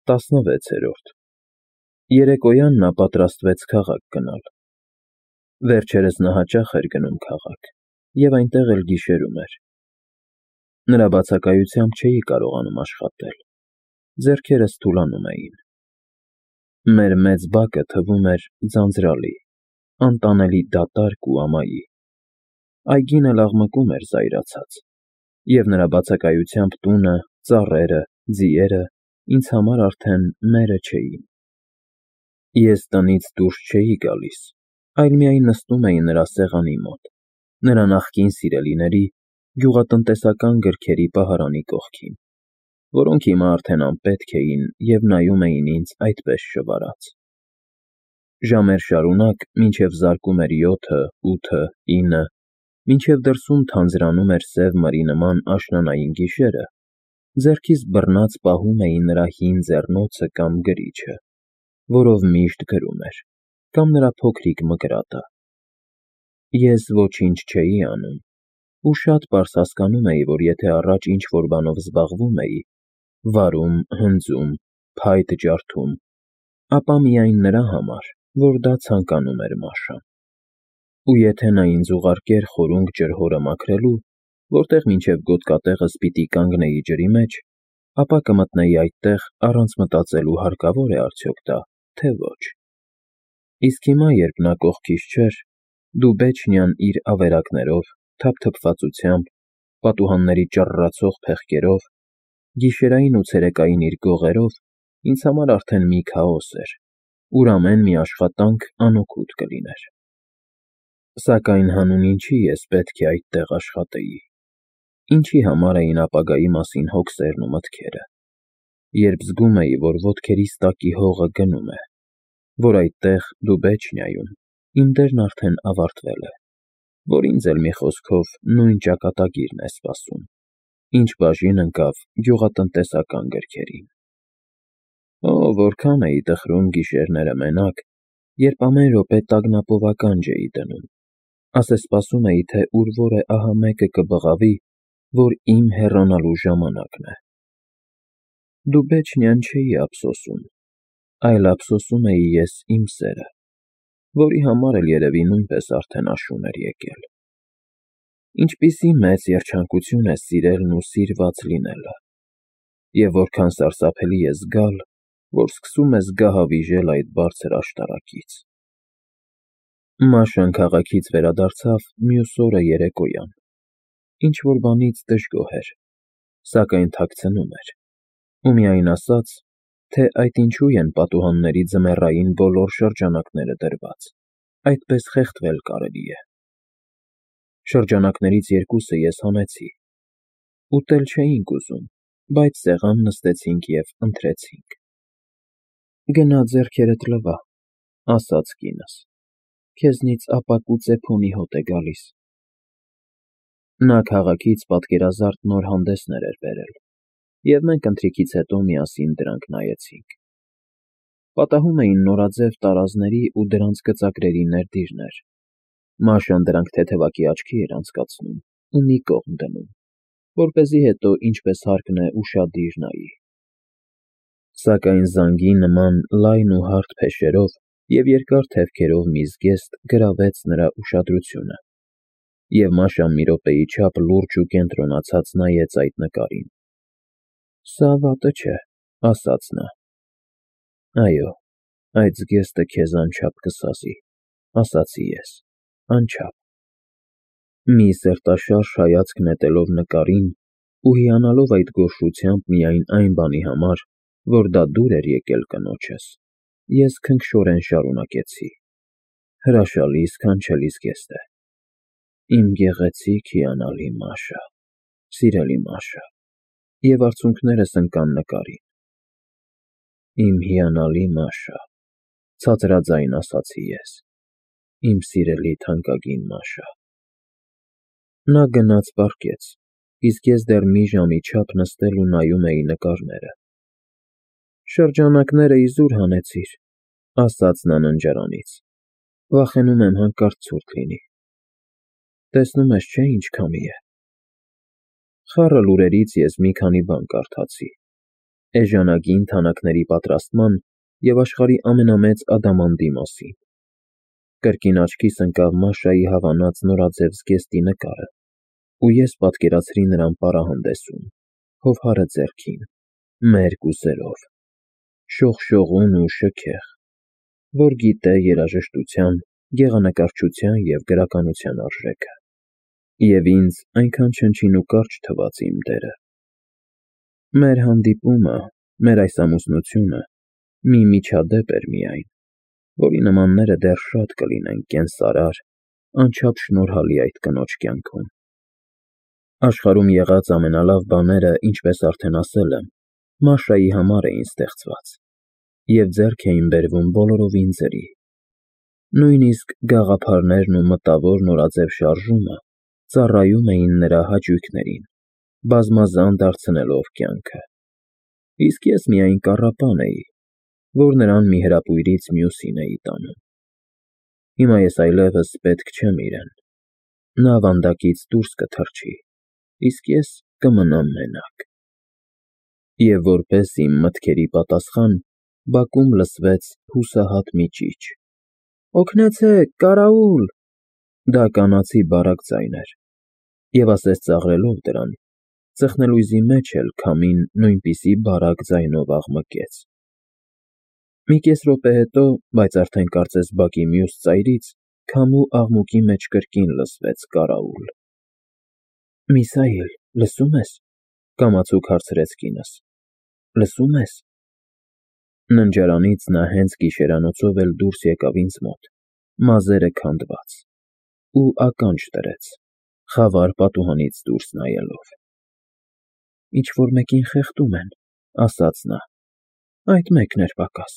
16-րդ Երեկոյան նա պատրաստվեց քաղաք գնալ։ Վերջերս նա հաճախ էր գնում քաղաք և այնտեղ էլ գիշերում էր։ Նրա բացակայությամբ չէի կարողանում աշխատել, ձեռքերս թուլանում էին։ Մեր մեծ բակը թվում էր ձանձրալի, անտանելի դատարկ ու ամայի։ Այգին էլ աղմկում էր զայրացած, և նրա բացակայությամբ տունը, ծառերը, ձիերը ինձ համար արդեն մերը չէին։ Ես տնից դուրս չէի գալիս, այլ միայն նստում էի նրա սեղանի մոտ, նրա նախկին սիրելիների գյուղատնտեսական գրքերի պահարանի կողքին, որոնք հիմա արդեն անպետք էին և նայում էին ինձ այդպես շվարած։ Ժամեր շարունակ, մինչև զարկում էր 7-ը, 8-ը, 9-ը, մինչև դրսում թանձրանում էր սև մրի նման աշնանային գիշերը, ձեռքիս բռնած պահում էի նրա հին ձեռնոցը կամ գրիչը, որով միշտ գրում էր, կամ նրա փոքրիկ մկրատը։ Ես ոչինչ չէի անում ու շատ պարզ հասկանում էի, որ եթե առաջ ինչ-որ բանով զբաղվում էի, վարում, հնձում, փայտ ջարդում, ապա միայն նրա համար, որ դա ցանկանում էր Մաշան։ Ու եթե նա ինձ ուղարկեր խորունգ ջրհորը մաքրելու, որտեղ մինչև գոտկատեղս պիտի կանգնեի ջրի մեջ, ապա կմտնեի այդտեղ առանց մտածելու հարկավո՞ր է արդյոք դա, թե ոչ։ Իսկ հիմա, երբ նա կողքիս չէր, Դուբեչնիան իր ավերակներով, թափթփվածությամբ, պատուհանների ճռռացող փեղկերով, գիշերային ու ցերեկային իր գողերով ինձ համար արդեն մի քաոս էր, ուր ամեն մի աշխատանք անօգուտ կլիներ։ Սակայն հանուն ինչի ես պետք է այդտեղ աշխատեի, ինչի համար էին ապագայի մասին հոգսերն ու մտքերը, երբ զգում էի, որ ոտքերիս տակի հողը գնում է, որ այդտեղ Դուբեչնիայում իմ դերն արդեն ավարտվել է, որ ինձ էլ մի խոսքով նույն ճակատագիրն է սպասում, ինչ բաժին ընկավ գյուղատնտեսական գրքերին։ Օ, որքան էի տխրում գիշերները մենակ, երբ ամեն րոպե տագնապով ականջ էի դնում, ասես սպասում էի, թե ուր որ է ահա մեկը կբղավի, որ իմ հեռանալու ժամանակն է։ Դուբեչնիան չէի ափսոսում, այլ ափսոսում էի ես իմ սերը, որի համար էլ երևի նույնպես արդեն աշուն էր եկել։ Ինչպիսի մեծ երջանկություն է սիրելն ու սիրված լինելը, և որքան սարսափելի է զգալ, որ սկսում ես գահավիժել այդ բարձր աշտարակից։ Մաշան քաղաքից վերադարձավ մյուս օրը երեկոյան, ինչ-որ բանից դժգոհ էր, սակայն թաքցնում էր, ու միայն ասաց, թե այդ ինչու են պատուհանների ձմեռային բոլոր շրջանակները դրված, այդպես խեղդվել կարելի է։ Շրջանակներից երկուսը ես հանեցի, ուտել չէինք ուզում, բայց սեղան նստեցինք և ընթրեցինք։ Գնա ձեռքերդ լվա, ասաց կինս, քեզնից ապակու ծեփոնի հոտ է գալիս։ Նա քաղաքից պատկերազարդ նոր հանդեսներ էր բերել, և մենք ընթրիքից հետո միասին դրանք նայեցինք։ Պատահում էին նորաձև տարազների ու դրանց գծագրերի ներդիրներ։ Մաշան դրանք թեթևակի աչքի էր անցկացնում ու մի կողմ դնում, որպեսզի հետո ինչպես հարկն է ուշադիր նայի։ Սակայն զանգի նման լայն ու հարթ փեշերով և երկար թևքերով մի զգեստ գրավեց նրա ուշադրությունը, և Մաշան մի րոպեի չափ լուրջ ու կենտրոնացած նայեց այդ նկարին։ Սա վատը չէ, ասաց նա։ Այո, այդ զգեստը քեզ անչափ կսազի, ասացի ես, անչափ։ Մի սերտաշարժ հայացք նետելով նկարին ու հիանալով այդ գոհշությամբ միայն այն բանի համար, որ դա դուր էր եկել կնոջս, ես քնքշորեն շարունակեցի. հրաշալի, սքանչելի զգեստ է։ Իմ գեղեցիկ հիանալի Մաշա, սիրելի Մաշա, և արցունքներս ընկան նկարին։ Իմ հիանալի Մաշա, ցածրաձայն ասացի ես, իմ սիրելի թանկագին Մաշա։ Նա գնաց պառկեց, իսկ ես դեռ մի ժամի չափ նստել ու նայում էի նկարները։ Շրջանակները իզուր հանեցիր, ասաց նա ննջարանից, վախենում եմ հանկարծ ցուրտ լինի։ Տեսնում ես, չէ՞, ինչ քամի է։ Խառը լուրերից ես մի քանի բան կարդացի։ էժանագին թանաքների պատրաստման և աշխարհի ամենամեծ ադամանդի մասին։ Կրկին աչքիս ընկավ Մաշայի հավանած նորաձև զգեստի նկարը, ու ես պատկերացրի նրան պարահանդեսում, հովհարը ձեռքին, մերկ ու սերով, շողշողուն ու շքեղ, որ գիտե երաժշտության, գեղանկարչության և գրականության արժեքը։ Եվ ինձ այնքան չնչին ու կարճ թվաց իմ դերը։ Մեր հանդիպումը, մեր այս ամուսնությունը մի միջադեպ էր միայն, որի նմանները դեռ շատ կլինեն կենսարար, անչափ շնորհալի այդ կնոջ կյանքում։ Աշխարհում եղած ամենալավ բաները, ինչպես արդեն ասել եմ, Մաշայի համար էին ստեղծված, և ձեռք էին բերվում բոլորովին ձրի։ Նույնիսկ գաղափարներն ու մտավոր նորաձև շարժումը ծառայում էին նրա հաճույքներին, բազմազան դարձնելով կյանքը։ Իսկ ես միայն կառապան էի, որ նրան մի հրապույրից մյուսին էի տանում։ Հիմա ես այլևս պետք չեմ իրեն։ Նա վանդակից դուրս կթռչի, իսկ ես կմնամ մենակ։ Եվ որպես իմ մտքերի պատասխան, բակում լսվեց հուսահատ մի ճիչ. «Օգնեցե՛ք, կարաուլ»։ Դա կանացի բարակ ձայն էր, և ասես ծաղրելով դրան, ծխնելույզի մեջ էլ քամին նույնպիսի բարակ ձայնով աղմկեց։ Մի կես րոպե հետո, բայց արդեն կարծես բակի մյուս ծայրից, քամու աղմուկի մեջ կրկին լսվեց կարաուլ։ «Միսայել, լսո՞ւմ ես», կամացուկ հարցրեց կինս։ «Լսո՞ւմ ես»։ Ննջարանից նա հենց գիշերանոցով էլ դուրս եկավ ինձ մոտ, մազերը քանդված, ու ականջ դրեց, խավար պատուհանից դուրս նայելով։ «Ինչ֊որ մեկին խեղդում են», ասաց նա, «այդ մեկն էր պակաս»։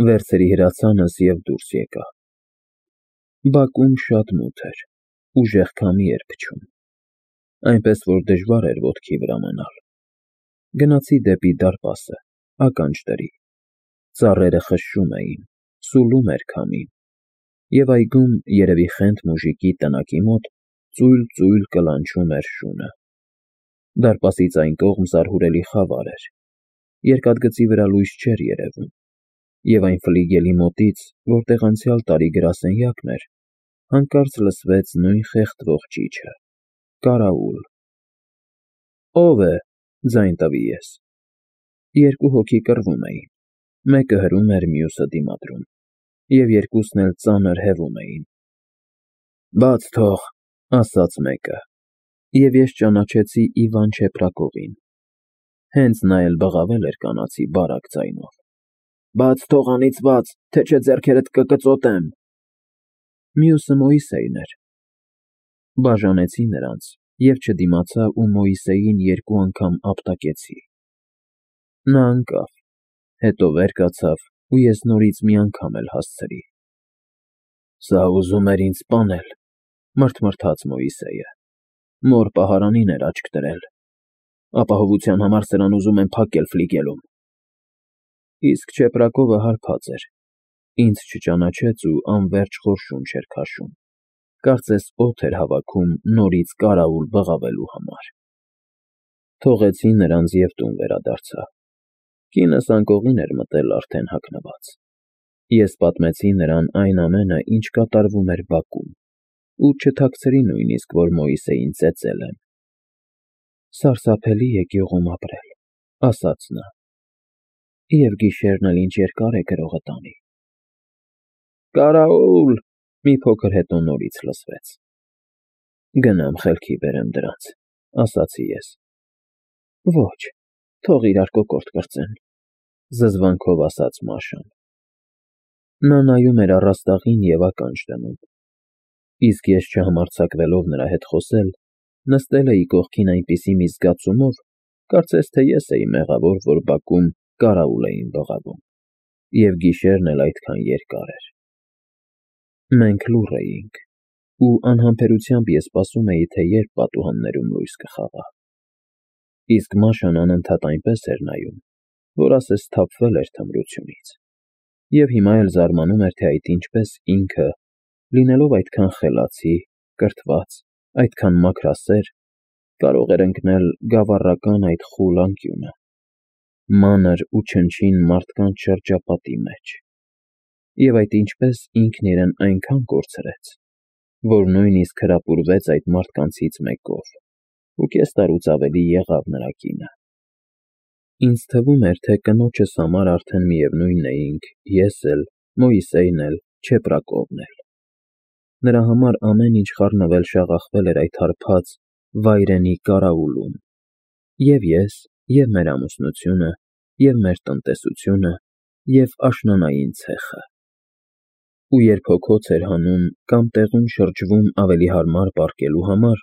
Վերցրի հրացանս և դուրս եկա։ Բակում շատ մութ էր, ուժեղ քամի էր փչում, այնպես որ դժվար էր ոտքի վրա մնալ։ Գնացի դեպի դարպասը, ականջ դրի։ Ծառերը խշշում էին, սուլում էր քամին, և այգում, երևի խենթ մուժիկի տնակի մոտ, ծույլ֊ծույլ կլանչում էր շունը։ Դարպասից այն կողմ զարհուրելի խավար էր, երկաթգծի վրա լույս չէր երևում, և այն ֆլիգելի մոտից, որտեղ անցյալ տարի գրասենյակն էր, հանկարծ լսվեց նույն խեղդվող ճիչը՝ «Կարաուլ»։ «Ո՞վ է», ձայն տվի ես։ Երկու հոգի կռվում էին, մեկը հրում էր, մյուսը դիմադրում, և երկուսն էլ ծանր հևում էին։ «Բաց թող», ասաց մեկը, և ես ճանաչեցի Իվան Չեպրակովին։ Հենց նա էլ բղավել էր կանացի բարակ ձայնով։ «Բաց թող անիծված, թե չէ ձեռքերդ կկծոտեմ»։ Մյուսը Մոիսեյն էր։ Բաժանեցի նրանց և չդիմացա ու Մոիսեյին երկու անգամ ապտակեցի։ Նա ընկավ, հետո վեր կացավ, ու ես նորից մի անգամ էլ հասցրի։ «Սա ուզում էր ինձ սպանել», մռթմռթաց Մոիսեյը, «մոր պահարանին էր աչք դրել։ Ապահովության համար սրան ուզում են փակել ֆլիգելում»։ Իսկ Չեպրակովը հարբած էր, ինձ չճանաչեց ու անվերջ խորշուն չէր քաշում, կարծես օդ էր հավաքում նորից կարաուլ բղավելու համար։ Թողեցի նրանց և տուն վերադարձա։ Կինս անկողին էր մտել արդեն հագնված։ Ես պատմեցի նրան այն ամենը, ինչ կատարվում էր բակում, ու չթաքցրի նույնիսկ, որ Մոիսեյին ծեծել եմ։ «Սարսափելի է գյուղում ապրել», ասաց նա, «և գիշերն էլ ինչ երկար է գրողը տանի»։ «Կարաուլ», մի փոքր հետո նորից լսվեց։ «Գնամ խելքի բերեմ դրանց», ասացի ես։ «Ոչ, թող իրար կոկորդ կրծեն», զզվանքով ասաց Մաշան։ Նա նայում էր առաստաղին և ականջ դնում, իսկ ես չհամարձակվելով նրա հետ խոսել, նստել էի կողքին այնպիսի մի զգացումով, կարծես թե ես էի մեղավոր, որ բակում կարաուլ էին բղավում, և գիշերն էլ այդքան երկար էր։ Մենք լուռ էինք, ու անհամբերությամբ ես սպասում էի, թե երբ պատուհաններում լույս կխաղա։ Իսկ Մաշան անընդհատ այնպես էր նայում, որ ասես սթափվել էր թմրությունից, և հիմա էլ զարմանում էր, թե այդ ինչպես ինքը, լինելով այդքան խելացի, կրթված, այդքան մաքրասեր, կարող էր ընկնել գավառական այդ խուլ անկյունը, մանր ու չնչին մարդկանց շրջապատի մեջ, և այդ ինչպես ինքն իրեն այնքան կորցրեց, որ նույնիսկ հրապուրվեց այդ մարդկանցից մեկով ու կես տարուց ավելի եղավ նրա կինը։ Ինձ թվում էր, թե կնոջս համար արդեն միևնույն էինք ես էլ, Մոյսեյն էլ, Չեպրակովն էլ։ Նրա համար ամեն ինչ խառնվել-շաղախվել էր այդ հարբած վայրենի կարաուլում, և ես, և մեր ամուսնությունը, և մեր տնտեսությունը, և աշնանային ցեխը։ Ու երբ հոգոց էր հանում կամ տեղում շրջվում ավելի հարմար պառկելու համար,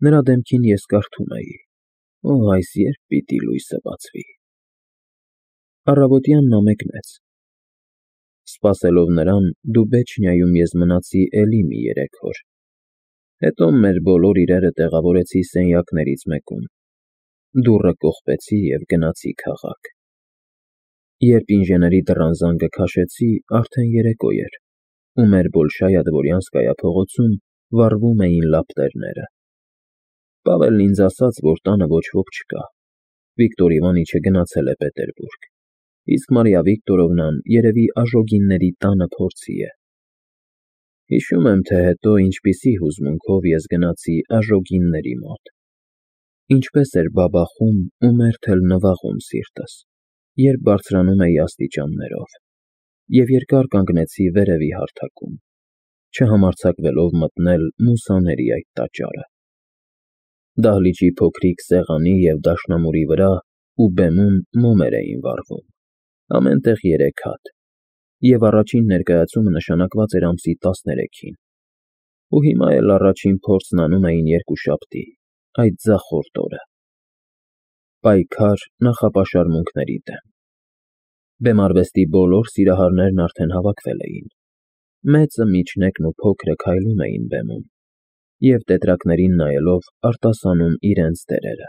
նրա դեմքին ես կարդում էի. «Օ, այս երբ պիտի լույսը բացվի»։ Առավոտյան նա մեկնեց։ Սպասելով նրան, Դուբեչնիայում ես մնացի էլի մի 3 օր, հետո մեր բոլոր իրերը տեղավորեցի սենյակներից մեկում, դուռը կողպեցի և գնացի քաղաք։ Երբ ինժեների դռան զանգը քաշեցի, արդեն երեկո էր, ու մեր Բոլշայա Դվորյանսկայա փողոցում վառվում էին լապտերները։ Պավելն ինձ ասաց, որ տանը ոչ ոք չկա, Վիկտոր Իվանիչը գնացել է Պետերբուրգ, իսկ Մարիա Վիկտորովնան երևի Աժոգինների տանը փորձի է։ Հիշում եմ, թե հետո ինչպիսի հուզմունքով ես գնացի Աժոգինների մոտ, ինչպես էր բաբախում ու մերթ էլ նվաղում սիրտս, երբ բարձրանում էի աստիճաններով, և երկար կանգնեցի վերևի հարթակում, չհամարձակվելով մտնել մուսաների այդ տաճարը։ Դահլիճի փոքրիկ սեղանի և դաշնամուրի վրա ու բեմում մոմեր էին վառվում, ամեն տեղ 3 հատ, և առաջին ներկայացումը նշանակված էր ամսի 13-ին, ու հիմա էլ առաջին փորձն անում էին երկուշաբթի, այդ ձախորդ օրը։ Պայքար նախապաշարմունքների դեմ։ Բեմարվեստի բոլոր սիրահարներն արդեն հավաքվել էին, մեծը, միջնեկն ու փոքրը քայլում էին բեմում և տետրակներին նայելով արտասանում իրենց դերերը։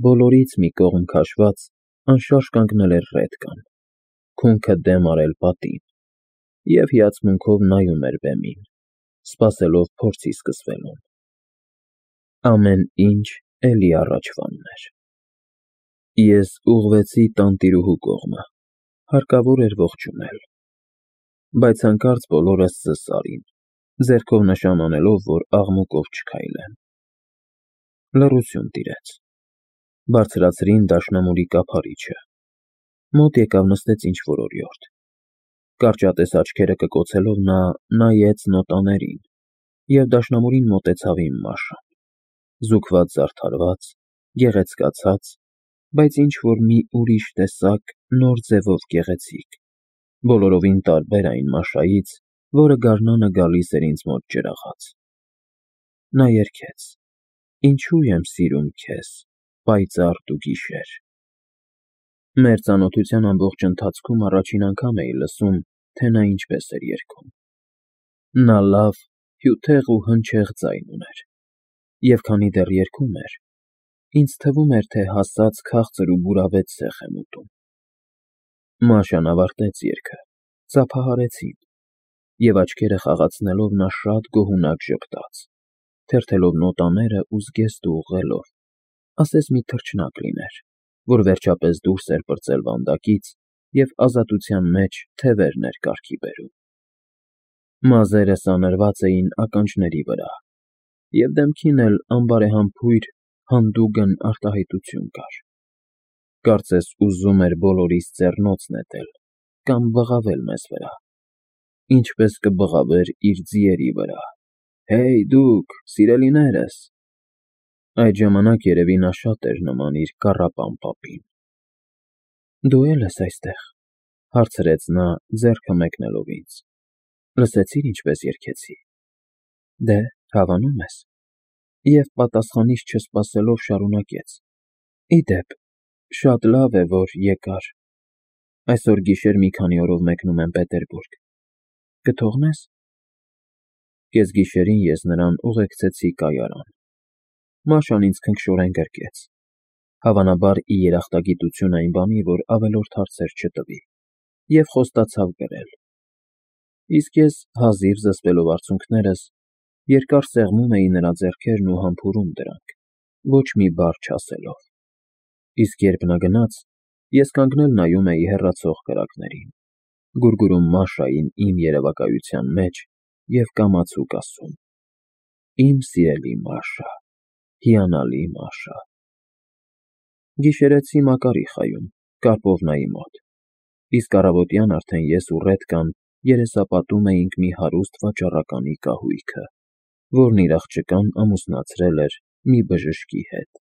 Բոլորից մի կողմ քաշված, անշարժ կանգնել էր Ռեդկան, քունքը դեմ արել պատին, և հիացմունքով նայում էր բեմին, սպասելով փորձի սկսվելուն։ Ամեն ինչ էլի առաջվանն էր։ Ես ուղղվեցի տանտիրուհու կողմը, հարկավոր էր ողջունել, բայց հանկարծ բոլորը զս արին, ձեռքով նշան անելով, որ աղմուկով չքայլեմ։ Լռություն տիրեց։ Բարձրացրին դաշնամուրի կափարիչը, մոտ եկավ նստեց ինչ-որ օրիորդ։ Կարճատես աչքերը կկոցելով նա նայեց նոտաներին և դաշնամուրին մոտեցավ իմ Մաշան, զուգված֊զարդարված, գեղեցկացած, բայց ինչ֊որ մի ուրիշ տեսակ, նոր ձևով գեղեցիկ, բոլորովին տարբեր այն Մաշայից, որը գարնանը գալիս էր ինձ մոտ ջրաղաց։ Նա երգեց. «Ինչու եմ սիրում քեզ, պայծառ տուգիշեր»։ Մեր ծանոթության ամբողջ ընթացքում առաջին անգամ էի լսում, թե նա ինչպես էր երգում։ Նա լավ, հյութեղ ու հնչեղ ձայն ուներ, և քանի դեռ երգում էր, ինձ թվում էր, թե հասած քաղցր ու բուրավետ սեղ եմ ուտում։ Մաշան ավարտեց երգը, ծափահարեցին, և աչքերը խաղացնելով նա շատ գոհունակ ժպտաց, թերթելով նոտաները ու զգեստը ուղղելով, ասես մի թռչնակ լիներ, որ վերջապես դուրս էր պրծել վանդակից և ազատության մեջ թևերն էր կառքի բերում։ Մազերը սանրված էին ականջների վրա, և դեմքին էլ անբարեհամբույր, հանդուգն արտահայտություն կար, կարծես ուզում էր բոլորիս ձեռնոց նետել կամ բղավել մեզ վրա, ինչպես կբղավեր իր ձիերի վրա. «Հեյ, դուք, սիրելիներս»։ Այդ ժամանակ երևի նա շատ էր նման իր կառապան պապին։ «Դու է՞լ ես այստեղ», հարցրեց նա, ձեռքը մեկնելով ինձ։ «Լսեցի՞ր ինչպես երգեցի»։ Դե, հավանում ես։ Եվ պատասխանիս չսպասելով շարունակեց. «Ի դեպ, շատ լավ է, որ եկար։ Այսօր գիշեր մի քանի օրով մեկնում եմ Պետերբուրգ։ Կթողնե՞ս»։ Կեսգիշերին ես նրան ուղեկցեցի կայարան։ Մաշան ինձ քնքշորեն գրկեց, հավանաբար ի երախտագիտություն այն բանի, որ ավելորդ հարցեր չտվի, և խոստացավ գրել։ Իսկ ես, հազիվ զսպելով արցունքներս, երկար սեղմում էի նրա ձեռքերն ու համբուրում դրանք, ոչ մի բառ չասելով։ Իսկ երբ նա գնաց, ես կանգնել նայում էի հեռացող կրակներին, գուրգուրում Մաշային իմ երևակայության մեջ և կամացուկ ասում. «Իմ սիրելի Մաշա, հիանալի Մաշա»։ Գիշերեցի Մակար էի խայում Կարկովնայի մոտ, իսկ առավոտյան արդեն ես ու Ռետկան երեսապատում էինք մի հարուստ վաճառականի կահույքը, որն իր աղջկան ամուսնացրել էր մի բժշկի հետ։